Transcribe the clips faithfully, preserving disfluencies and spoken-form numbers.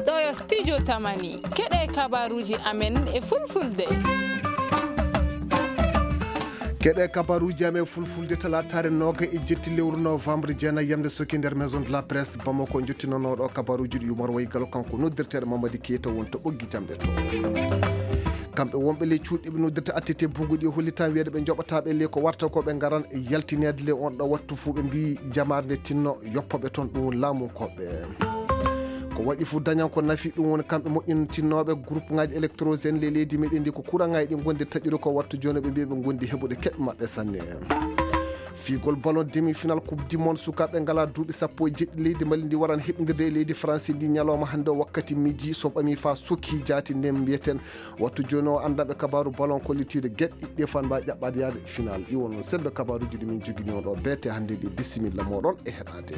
Ɗo yo studio Tamani. Keɗe kabaruuji amen e fulfulde. Keɗe kabaruuji amen fulfulde talaataare nooga e jetti lewru novembre, jeenayi yamde soki nder Maison de la Presse Bamako. Jottinanooɗo kabaruuji ɗi Umar Waygalo, kanko noddirteeɗo Mamadi Keita woni to ɓoggi jamɗe to. Kamɓe wonɓe ley cuuɗi ɓe noddirta attete buguɗi e hollitan wiyeede ɓe njoɓataɓe ley ko warta ko ɓe ngaran yaltineede ley on ɗo wattu fuu ɓe mbii jamaare nde tinno yoppoɓe toon ɗum laamunkoɓe. Ko waɗi fuu dañan ko nafi ɗum woni kamɓe moƴƴintinnooɓe groupe ŋaaji électrogène ley leydi meɗen ndi ko kuraŋaaji ɗi ngonde taƴude ko wattu jooni ɓe mbii ɓe ngondi heɓude keɓe maɓɓe sanne. Fiigol ballon demi-final coupe du monde sukaaɓe ngalaa duuɓi sappo e jeɗɗi leydi Mali ndi waran heɓindirde e leydi Faransi ndi ñalawma hannde o wakkati midi so ɓami faa sokki jaati nden mbiyeten wattu jooni o anndanɓe kabaaru ballon kollitiiɗo geɗe ɗiɗɗi fan mba ƴaɓɓaade yaade final iwo noon sembe kabaaruuji ɗi min jogini on ɗo beete hannde ɗi bisimilla moɗon e heɗaade.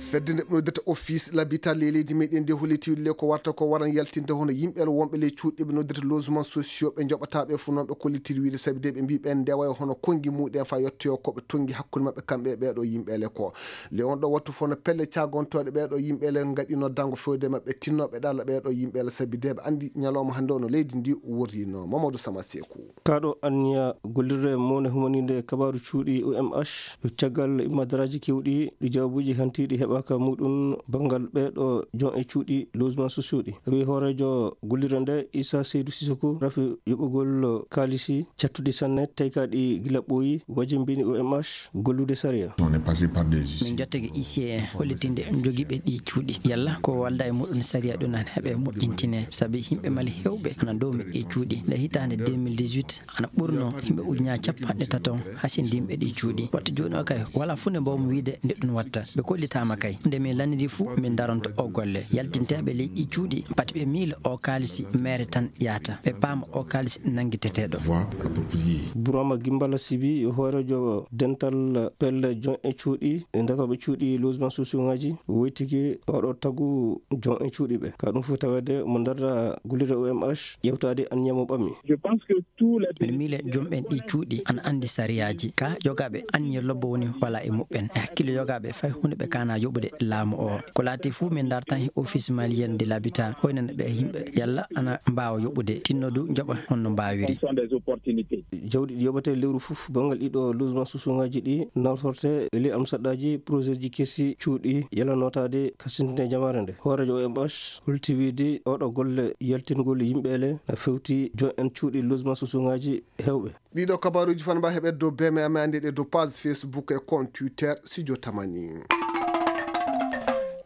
Fedde nde ɓe noddata office l'habitat ley leydi meɗen nde holliti le ko warta ko waran yaltinde hono yimɓe wonɓe ley cuuɗi ɓe noddata logement sociaux ɓe njoɓataɓe fof noon ɓe kollitiri wiide sabi de ɓe mbi ɓen ndewa e hono konngi muɗen fa yettoyo koɓe tonngi hakkunde maɓɓe kamɓe e ɓeɗo yimɓele ko le on ɗo wattu fof no pelle cagontoɗe ɓeɗo yimɓele gaɗino dango fewde maɓɓe tinnoɓe ɗalla ɓeɗo yimɓele sabi de ɓe andi ñalawma hannde o no leydi ndi worrino. Mamadou Sama Seku. Kaɗo anniya gollirde mawne humaninde kabaaru cuuɗi O M H caggal immadaraaji keewɗi ɗi jawaabuuji hantiiɗi heɓaaka muɗum banngal ɓeeɗo jon e cuuɗi logement sociaux ɗi. Wi hooreejo gollirde nde Issa Seydou Sissoko rafi yoɓugol kaalisi cattudi sanne tawi ka ɗi gila ɓooyi wajimbini O M H gollude sariya. On est passé par des huissiers. Min jottake huissier en hollitinde jogiiɓe ɗi cuuɗi yalla ko walda e muɗum sariya ɗum an heɓe moƴƴintine sabi yimɓe Mali hewɓe ana doomi e cuuɗi nde hitaande deux mille dix-huit ana ɓurno yimɓe ujunaaji capanɗe tato hasindinɓe ɗi cuuɗi. Wattu jooni o kay wala fuu nde mbawmi wiide nde ɗum watta. Ɓe kollitaama kay. Nde min lannidi fuu min daronto o golle. Yaltinteeɓe ley ɗi cuuɗi pati ɓe miila o kaalisi meere tan yahata. Ɓe paama o kaalisi nanngiteteeɗo. Voie appropriée. Burama Gimbala Sibi yo hooreejo dental pelle jon e cuuɗi e ndatooɓe cuuɗi logement sociaux ŋaaji woytiki oɗo tagu jon e cuuɗi ɓe. Ka ɗum fof taweede mo nder gollirde O M H ƴeewtaade anniya mo ɓammi. Je pense que tous les Mbiɗa miila joom ɓen ɗi cuuɗi ana anndi sariyaaji. Ka yogaaɓe anniya lobbo woni wala e muɓɓen. E hakkille yogaaɓe fay huunde ɓe kaana yoɓude laamu o. Ko laati fof min ndartan e Office Malien de l'Habitat hoynana ɓe yimɓe yalla ana mbaawa yoɓude tinno du njoɓa honno mbaawiri. Fonction des opportunités. Jawdi ɗi yoɓete lewru fof banngal ɗiɗo logement sociaux ŋaaji ɗi nawtorte e ley amsaɗɗaaji projet ji kesi cuuɗi yalla nootaade kasintine jamaare nde. Hooreejo O M H holti wiide oɗo golle yaltingol yimɓe ele na fewti jon en cuuɗi logement sociaux ŋaaji hewɓe. Ɗiɗo kabaruuji fan mba heɓe dow B M A ande ɗe dow page Facebook e compte Twitter Studio Tamani.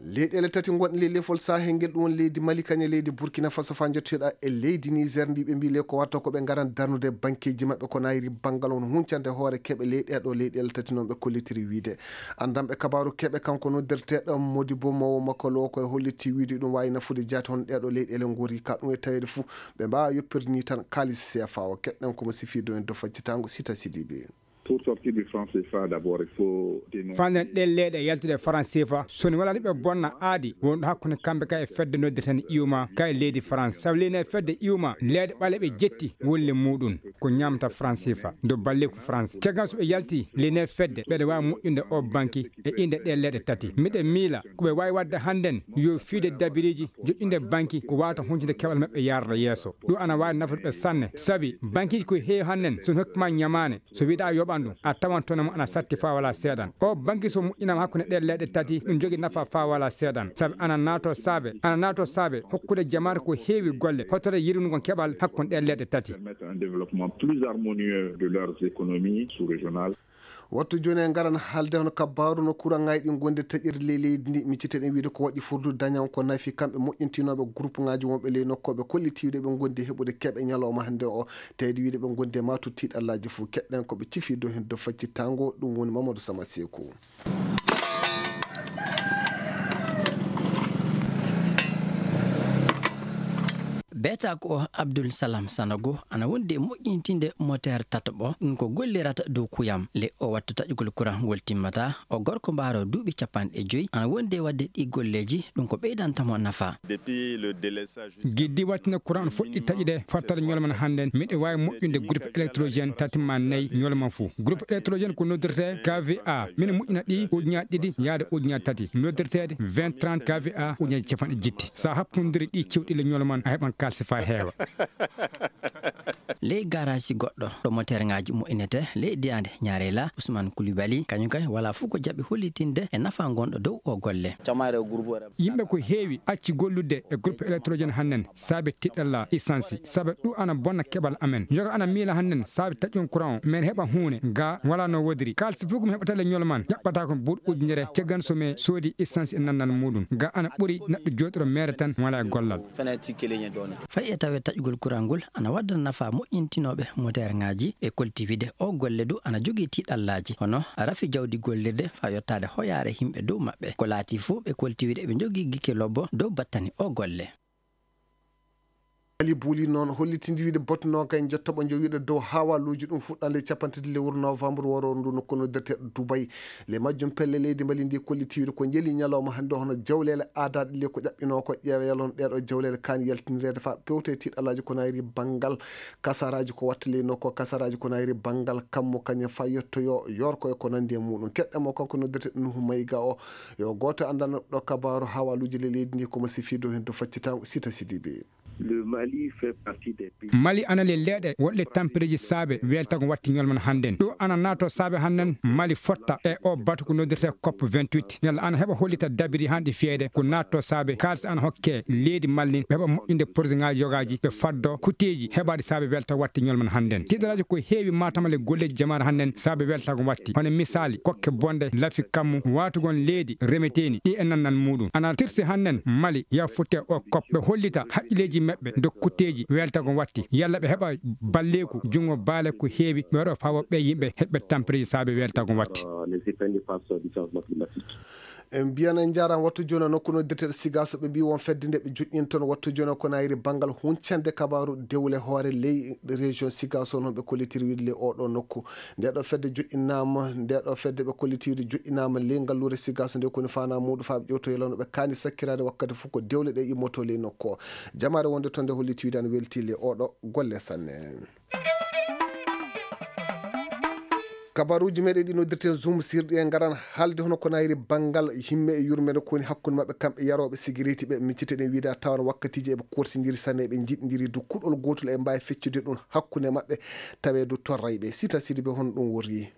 Leyɗeele tati ngonɗe ley lefol Sahel ngel ɗum woni leydi Mali kañe leydi Burkina Faso fa jottoyɗa e leydi Niger ndi ɓe mbi le ko warta ko ɓe ngaran darnude bankeji maɓɓe ko nayri banngal on huncande hoore keɓe ley ɗeɗo leyɗeele tati noon ɓe kollitiri wiide. Anndanɓe kabaaru keɓe kanko noddirteeɗo Modibo Mawo Makolo ko e holliti wiide ɗum waawi nafude jaati hono ɗeɗo leyɗeele ngori ka ɗum e taweede fuu ɓe mbaawa yoppirde ni tan kaalis C F A o. Keɗɗen ko mo sifi do en do faccitango Sita Sidibe. Pour sortir du franc C F A, d'abord, il faut dénoncer. Fanden ɗen leyɗe yaltude e franc C F A, so ni wala ni ɓe bonna aadi wonɗo hakkunde kamɓe ka e fedde noddirten iuma ka e leydi France. Sabu leydi e fedde iuma leyɗe ɓale ɓe jetti wolle muɗum ko ñamta franc C F A. Do balle ko France. Caggal so ɓe yalti leydi e fedde ɓeɗe waawi moƴƴude o banki e inde ɗe leyɗe tati. Miɗen miila ko ɓe waawi waɗde hannden yo fiide dabiriji joƴƴinde banki ko wawata huncude keɓal maɓɓe yarda yeeso. Ɗum ana waawi nafude ɓe sanne. Sabi bankiji ko heewi hannden so hokki ma ñamaane, so wiɗa a yoɓan ɗum, a tawan tone mo ana satti fa wala seeɗan. O banki so moƴƴinama hakkunde ɗe leyɗe tati, ɗum jogi nafa fa wala seeɗan. Sabi ana naato saabe, ana naato saabe hokkude jamaare ko heewi golle, hotore yirwinugol keɓal hakkunde ɗe leyɗe tati. Permettre un développement plus harmonieux de leurs économies sous-régionales. Wattu jooni en ngaran haalde hono kabbaaru no kuraŋaaji ɗi ngonde taƴirde ley leydi ndi. Micciteɗen wiide ko waɗi furdu dañan ko nafi kamɓe moƴƴintinooɓe groupe ŋaaji wonɓe ley nokkooɓe kollitiiɗe ɓe ngondi heɓude keɓe ñalawma hannde o. Tawde wiide ɓe ngondi e maatu tiiɗallaaji fof. Keɗɗen ko ɓe cifi dow heen dow faccitango, ɗum woni Mamadou Sama Seeku. Beetako o Abdul Salam Sanogo ana wondi e moƴƴintinde moteer tataɓo, ɗum ko gollirata dow kuyam. Le o wattu taƴugol kuraŋ ngol timmata, o gorko mbaaro duuɓi capanɗe joyi ana wondi e waɗde ɗi golleeji, ɗum ko ɓeydanta mo nafa. Depuis le délestage jusqu'à Giddi wattina kuraŋ on fuɗɗi taƴude fattal ñolman hannden, miɗo waawi moƴƴude groupe électrogène tati ma nayi ñolman fuu. Groupe électrogène ko noddirtee K V A. Min moƴƴina ɗi ujunaaji ɗiɗi yaade ujunaaji tati. Noddirteede vingt trente K V A ujunaaji capanɗe jetti. So a happondiri ɗi cewɗi le ñolman, a heɓan kaalisi faa heewa. Ley gaaraasi goɗɗo ɗo moteerŋaaji moƴƴinetee ley diyaande Ñaareela, Usman Kulibali, kañum kay walaa fof ko jaɓi hollitinde e nafaa ngonɗo dow o golle. Yimɓe ko heewi acci gollude e groupe électrogène hannden saabe tiɗalla essence, saabe ɗum ana bonna keɓal amen. Yoga ana miila hannden saabe taƴon courant o, men heɓa huune ga walaa no wodiri. Kaalisi fof ko mi heɓata le ñolman, ƴaɓɓata ko buuɗ ujunere, caggan so mi soodi essence e nannal muɗum. Ga ana ɓuri neɗɗo jooɗoro meere tan wala e gollal. Fay e tawe taƴugol kuraŋ ngol ana wadda nafa moƴƴintinooɓe moteerŋaaji, ɓe kolti wide o golle du ana jogii tiiɗallaaji, hono rafi jawdi gollirde faa yottaade hoyaare yimɓe dow maɓɓe. Ko laati fof ɓe kolti wide ɓe njogii gike lobbo dow battani o golle. Ali Buli noon hollitindi wiide botnoo kay jottoɓo jowiiɗo dow hawaluuji ɗum fuɗɗaande capanɗe tati lewru novembre woro ndu nokku noddirteeɗo Dubai. Le majjum pelle leydi Mali ndi kolliti wiide ko njeli ñalawma hannde hono jawleele aadaaɗe le ko ƴaɓɓinoo ko ƴeewa yalon ɗeeɗo jawleele kaani yaltinireede faa pewte tiiɗalaaji ko nayri banngal kasaraaji ko watta ley nokku kasaraaji ko nayri banngal kammu kañum faa yettoyo yorko e ko nanndi e muɗum. Keɗɗe mo kanko noddirteeɗo Nuhu Mayga o yo gooto anndanɗo kabaaru hawaluuji le leydi ndi ko mo sifiido heen to faccitango Sita Sidibe. Le Mali fait partie des pays. Mali ana le leeɗe woɗɗe tampereeji saabe weltago watti ñolman hannden. Ɗum ana naato saabe hannden Mali fotta e o batu ko noddirte cop vingt-huit. Yalla ana heɓa hollita dabiri hanɗi fiyede ko naatto saabe kaalisi ana hokke leydi Mali ɓe heɓa moƴƴinde projet ŋaaji yogaaji ɓe faddo kuteeji heɓaaɗi saabe welta watti ñolman hannden. Tiɗalaaji ko heewi Matam le golleeji jamaare hannden saabe weltago watti. Hono misaali kokke bonde lafi kammu waatugon leydi remeteeni ɗi e nannal muɗum. Ana tirsi hannden Mali ya futte o cop ɓe hollita haqqilleeji maɓɓe dow kutteeji weltago watti. Yalla ɓe heɓa balleeku junngo baale ko heewi ɓe waɗo faa wo ɓe yimɓe heɓɓe tampereeji saabe weltago watti. Euh, les effets néfastes du changement climatique. En mbiyana en njaaraama wattu jooni o nokku noddirteeɗo Sigaso ɓe mbii won fedde nde ɓe joƴƴinton wattu jooni o ko nayri banngal huncande kabaaru dewle hoore ley région Sigaso noon ɓe kollitiri wiide le oɗo nokku. Nde ɗo fedde joƴƴinaama, nde ɗo fedde ɓe kolliti wiide joƴƴinaama ley ngalluure Sigaso nde koni faanaa muuɗum faa ɓe ƴewto yalano ɓe kaani sakkiraade wakkati fof ko dewle ɗe immoto ley nokku o. Jamaare wonde toon nde holliti wiide ana welti le oɗo golle sanne. Kabaruuji meɗen ɗi noddirten zoom sirɗi en ngaran haalde hono ko nayri banngal himme e yurmeende ko woni hakkunde maɓɓe kamɓe yarooɓe sigireti ɓe micciteɗen wiide a tawan wakkatiiji eɓe korsindiri sanne eɓe njiɗindiri du kuɗol gootol e mbaawi feccude ɗum hakkunde maɓɓe taweedu torrayɓe Sita Sidibe hono ɗum worri.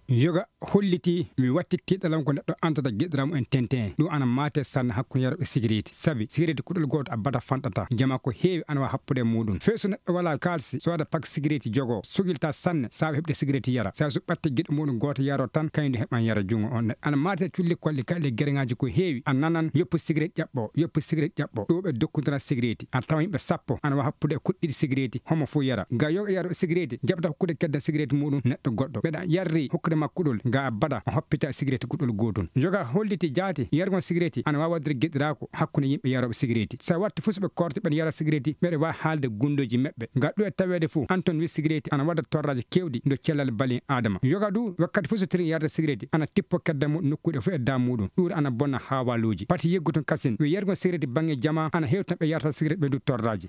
Yoga holliti mi watti tiɗalam ko neɗɗo antata giɗiram en tenten ɗum ana mate sanne hakkunde yaroɓe sigireti sabi sigireti kuɗol goto abbata fanɗata jama ko heewi ana wa happude e muɗum fey so neɗɗo wala kalsi so waɗa pak sigireti jogo sugilta sanne sawa heɓde sigireti yara sabi so ɓatte giɗo muɗum goto yaro tan kañum heɓan yara jungo on ana mate culli kolli kaɗe gereŋaji ko heewi a nanan yoppu sigireti ƴaɓɓo yoppu sigireti ƴaɓɓo ɗo ɓe dokkudira sigireti a tawa yimɓe sappo ana wa happude e kuɗɗiɗi sigireti homo fof yara ga yoga yaro sigireti jaɓata hokkude kedda sigireti muɗum neɗɗo goɗɗo ɓeɗa yarri hokkude makko kuɗol ga a baɗa a hoppita sigireti kuɗol gotol yoga holliti jaati yargol sigireti ana wawa waɗude geɗirako hakkunde yimɓe yaroɓe sigireti sa watti fof soɓe korte ɓen yara sigireti ɓeɗa wawi haalde gundoji maɓɓe ga ɗo e taweede fof anton wi sigireti ana waɗa torraji kewɗi ndo cellal bali adama yoga du wakkati fof so tiri yarde sigireti ana tippo kedda muɗum nokkuɗe fof e da muɗum ɗuure ana bonna hawaluji pati yegguton kasin wi yargol sigireti bangge jama ana hewtina ɓe yarta sigireti ɓe du torraji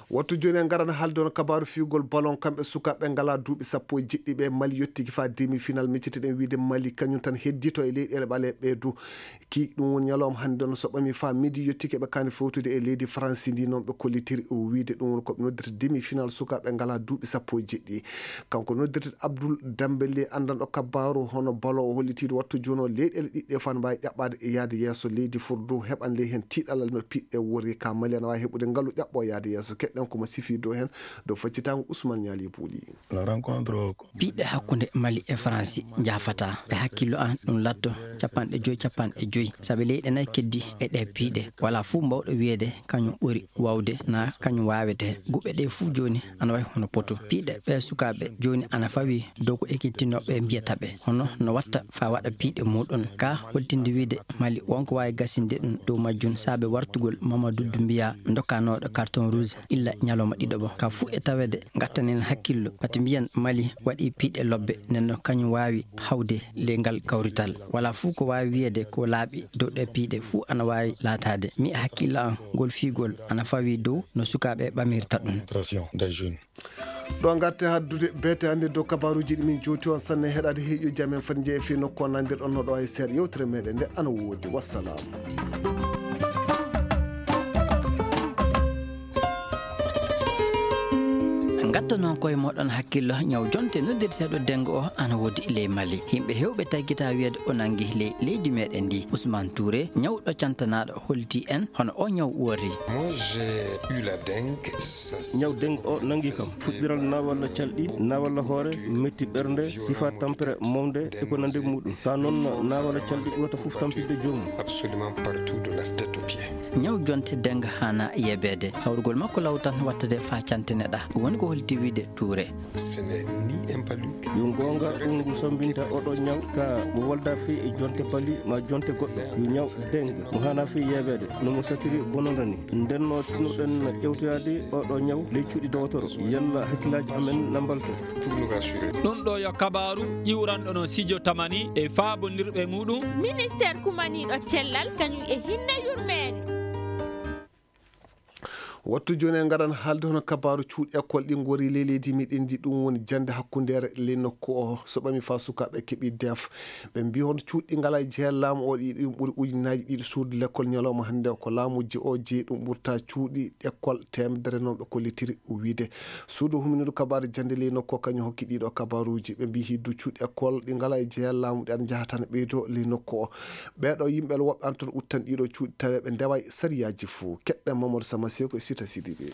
Wattu jooni en ngaran haalde on kabaaru fiyugol ballon kamɓe sukaaɓe ngalaa duuɓi sappo e jeɗɗi ɓe Mali yottiki faa demi final micciteɗen wiide Mali kañum tan heddito e leyɗeele ɓaleeɓe ɓee du ki ɗum woni ñalawma hannde on so ɓami faa midi yottiki eɓe kaani fowtude e leydi Faransi ndi noon ɓe kollitiri o wiide ɗum woni ko ɓe noddirta demi final sukaaɓe ngalaa duuɓi sappo e jeɗɗi kanko noddirta Abdoul Dembélé anndanɗo kabaaru hono ballon o hollitiiɗo wattu jooni o leyɗeele ɗiɗɗe fof ana mbaawi ƴaɓɓaade e yahde yeeso leydi furdu heɓan ley heen tiiɗalal no piɗɗe wori ka Mali ana waawi heɓude ngalu ƴaɓɓo yahde yeeso keɗɗen ko mo sifii dow heen dow faccitaango Ousmane Niali Bouli. La rencontre piɗɗe hakkunde Mali e France Si njaafataa, ɓe hakkillo an ɗum latto capanɗe joy, capanɗe joy. Sabi leyɗe nay keddi e ɗee piiɗe. Walaa fuu mbawɗo wiyeede kañum ɓuri waawde naa kañum waawetee. Guɓɓe ɗee fuu jooni ana wayi hono poto. Piiɗe ɓee sukaaɓe jooni ana fawii dow ko ekkitinooɓe mbiyata ɓe. Hono no watta faa waɗa piiɗe muuɗum. Ka holtinde wiide Mali wonko waawi gasinde ɗum dow majjum saabe wartugol Mamadou Doumbouya ndokkanooɗo carton rouge illa ñalawma ɗiɗo bo. Ka fuu e taweede ngattanen hakkillo. Pati mbiyen Mali waɗi piiɗe lobbe, nden no kañum waawi hawde ley ngal kawrital. Walaa fuu ko waawi wiyeede ko laaɓi dow ɗee piiɗe fuu ana waawi laataade. Mi hakkillo an ngol fiigol ana fawii dow no sukaaɓe ɓamirta ɗum. Des jeunes. Ɗo ngarten haddude beete hannde dow kabaruuji ɗi min jowti on sanne heɗaade heeƴo jam en fati jeeya fii nokku on nandirɗon no ɗo e seeɗa yewtere meɗen nde ana woodi. Wassalam. Ngatta noon koye moɗon hakkillo ñaw jonte noddirteeɗo dengo o ana woodi ley Mali. Yimɓe heewɓe taggita wiyeede o nangi ley leydi meɗen ndi. Ousmane Touré, ñawɗo cantanaaɗo, holti en hono o ñaw woori. Moi, j'ai eu la dengue. Ñaw dengue o nangi kam. Fuɗɗiral naawalla calɗi, naawalla hoore, metti ɓernde, sifa tampere mawde e ko nandi muɗum. Ka noon naawalla calɗi ɓurata fof tampinde joomum. Absolument partout de la tête aux pieds. Ñaw jonte dengue haana yebeede. Sawrugol makko law tan wattade faa cantine ɗa. Ɗum woni ko holti wiide Touré. Ce n'est ni un palu. Yo goonga ɗum ngu sambinta oɗo ñaw ka mo wolda fii e jonte pali ma jonte goɗɗo. Yo ñaw dengue mo haana fii yebeede no mo satiri bononda ni. Nden no tinoɗen ƴewtoyaade oɗo ñaw ley cuuɗi dowotoro. Yalla hakkillaaji amen na mbalto. Pour nous rassurer. Ɗum ɗo yo kabaaru ƴiwranɗo no Sijo Tamani e faabondirɓe muɗum. Ministeer kumaniiɗo cellal kañum e hinne yurmeende. Wattu jooni en ngaran haalde hono kabaaru cuuɗi école ɗi ngori ley leydi meɗen ndi, ɗum woni jannde hakkundeere ley nokku o. So ɓami faa sukaaɓe keɓi def, ɓe mbii hono cuuɗi ɗi ngalaa e jeyaa laamu o ɗi ɗum ɓuri ujunnaaji ɗiɗi suudu lekkol ñalawma hannde o ko laamu je o jeyi ɗum ɓurta cuuɗi école teemedere non ɓe kollitiri wiide. Suudu humindu kabaaru jannde ley nokku o kañum hokki ɗiɗo kabaaruuji. Ɓe mbii hiddu cuuɗi école ɗi ngalaa e jeyaa laamu ɗi ana njaha tan ɓeydo ley nokku o. Ɓeeɗo yimɓe woɓɓe ana toon uttan ɗiɗo cuuɗi tawi ɓe ndeway sariyaaji fuu. Keɗɗen Mamadou Sama Seko e Sita Sidibe.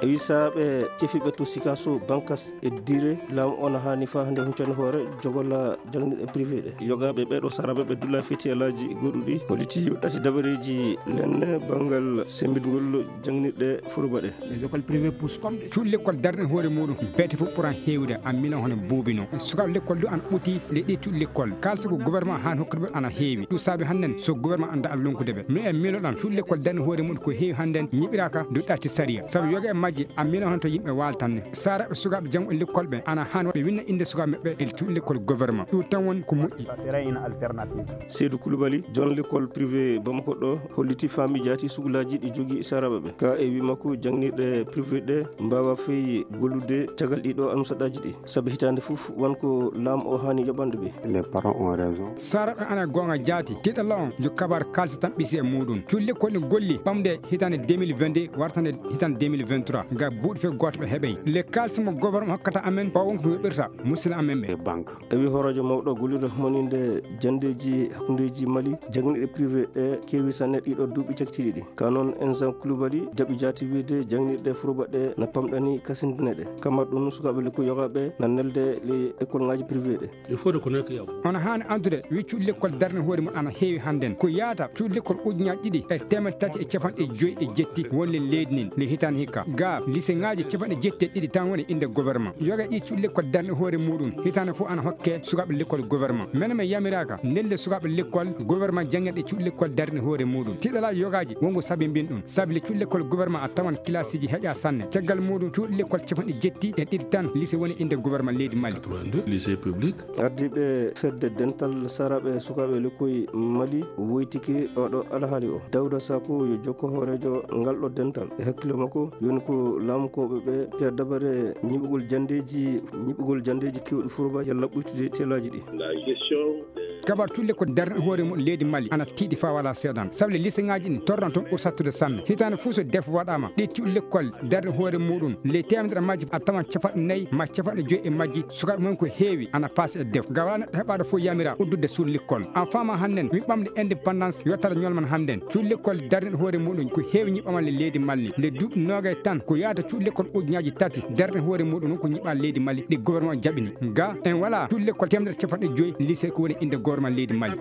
E wisaaɓe cefiɓe to Sikaso Bankas e Dire, laamu on haani faa hannde huncani hoore jogola jangɗe privé ɗe. Yogaaɓe ɓeeɗo saraɓe ɓe dula fetiyalaaji goɗɗuɗi, holliti yo ɗati dabareeji lenne banngal sembingol jangɗe furuba ɗe. Les écoles privées poussent comme des. Cuuɗi lekkol darne hoore muɗum, beete fof ɓuran heewde, an milan hono buubino. Sukaaɓe lekkol du an ɓuti nde ɗi cuuɗi lekkol. Kaalisi ko gouvernement haani hokkude ɓe ana heewi. Ɗum saabi hannden so gouvernement annda an lonkude ɓe. Mi en miloɗan cuuɗi lekkol darne hoore muɗum ko heewi hannden ñiɓiraaka dow ɗaati sariya. Sabu yoga e majji an milan hono to yimɓe waaltanne. Saraɓe sukaaɓe janngo e lekkol ɓe ana haani ɓe winna innde sukaaɓe maɓɓe e cuuɗi lekkol gouvernement. Ɗum tan woni ko moƴƴi. Ça serait une alternative. Seydou Koulibaly, jon lekkol privé Bamako ɗo, holliti faami jaati sugulaaji ɗi jogii saraɓe ɓe. Ka e wi makko, jangniiɗe privé ɗe mbaawa fey gollude caggal ɗiɗo annusaɗaaji ɗi. Sabi hitaande fof, won ko laamu o haani yoɓande ɓe. Les parents ont raison. Saraɓe ana goonga jaati. Tiiɗalla on, yo kabaar kaalisi tan ɓisi e muɗum. Cuuɗi lekkol ɗi golli, ɓamde hitaande deux mille vingt-deux, wartande hitaande deux mille vingt-trois. Ga buuɗi fey gooto ɓe heɓey. Le kaalisi mo gouvernement hokkata amen, o won ko yoɓirta, musidɗo amen ɓe. Banque. E wi hooraajo mawɗo gollirde humaninde janndeeji hakkundeeji Mali, jangniiɗe privé ɗe keewi sanne ɗiɗo duuɓi cakitiiɗi ɗi. Ka noon, Ensan Koulibaly jaɓi jaati wiide jangniiɗe furuba ɗe na pamɗani kasindine ɗe. Kamar ɗum sukaaɓe lekku yogaaɓe na nelde le école ŋaaji privé ɗe. Il faut reconnaître qu'il y a. Hono haani andude, wi cuuɗi lekkol darne hoore mum ana heewi hannden. Ko yaata cuuɗi lekkol ujunnaaji ɗiɗi e teemeɗɗe tati e capanɗe joy e jetti wonde leydi nin, le hitaande hikka. Ga, liseŋaaji capanɗe jetti e ɗiɗi tan woni innde gouvernement. Yoga ɗi cuuɗi lekkol darne hoore muɗum, hitaande fof ana hokke sukaaɓe lekkol gouvernement. Menen men yamiraaka nelde sukaaɓe lekkol gouvernement janngirɗe cuuɗi lekkol darne hoore muɗum. Tiiɗalaaji yogaaji wonko sabi mbin ɗum. Sabi le cuuɗi lekkol gouvernement a tawan kilaasiji heƴa sanne. Caggal muɗum cuuɗi lekkol capanɗe jetti e ɗiɗi tan lise woni innde gouvernement leydi Mali. Quatre-vingt-deux, lycée public. Ardiiɓe fedde dental saraɓe sukaaɓe lekkoy Mali woytike oɗo alhaali o. Dawda Sako yo jokko hooreejo ngal ɗo dental. E hakkille makko, yoni ko laamukooɓe ɓe piya dabare ñiɓugol janndeeji, ñiɓugol janndeeji keewɗi furuba yalla ɓuytude telaaji ɗi. La gestion de Kabar cuuɗi lekkol darnde hoore mum leydi Mali ana tiiɗi faa wala seedan. Sabu le liseŋaaji ɗin torran toon ɓuri sattude sanne. Hitaande fof so def waɗaama, ɗi cuuɗi lekkol darnde hoore muɗum, ley teemedere majji a tawan capanɗe nayi ma capanɗe joyi e majji sukaaɓe mum ko heewi ana paasi e def. Ga wala neɗɗo heɓaaɗo fof yamira uddudde suuɗi lekkol. An faama hannden, mi ɓamde indépendance yottata ñolman hannden. Cuuɗi lekkol darnde hoore muɗum ko heewi ñiɓɓaama le leydi Mali. Nde duuɓi noogay tan ko yaata cuuɗi lekkol ujunnaaji tati darnde hoore muɗum ko ñiɓɓaa leydi Mali ɗi gouvernement jaɓini. Ga en wala cuuɗi lekkol teemedere capanɗe joyi lycée ko woni innde gouvernement leydi Mali.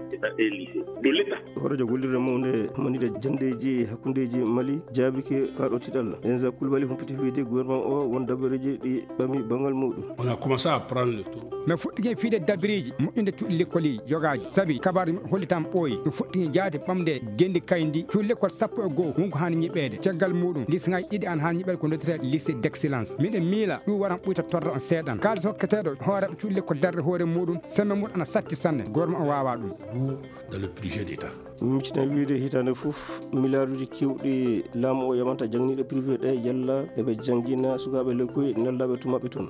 Hooreejo gollirde mawnde manide janndeeji hakkundeeji Mali jaabike kaaɗo tiɗal. Enza Kulbali humpiti wiyde gouvernement o won dabareeji ɗi ɓami banngal muɗum. On a commencé à prendre le tour. Min fuɗɗike fiide dabireeji moƴƴinde cuuɗi lekkol yogaaji sabi kabaaji muɓɓe hollitaama ɓooyi. Min fuɗɗike jaade ɓamde genndi kayndi cuuɗi lekkol sappo e goo wonko haani ñiɓeede. Caggal muɗum liseŋaaji ɗiɗi ana haani ñiɓeede ko noddirtee lycée d'excellence. Miɗen miila ɗum waran ɓuyta torra on seeɗan. Kaalis hokketeeɗo hooreeɓe cuuɗi lekkol darnde hoore muɗum semme muɗum ana satti sanne. Gouvernement o waawaa ɗum. Dans le budget d'État. Miccita wiyde hitaande fof miliyaaruuji keewɗi laamu o yamanta jangniiɗo privé ɗe yalla eɓe janngina sukaaɓe lekkoy neldaaɓe tumaɓɓe toon.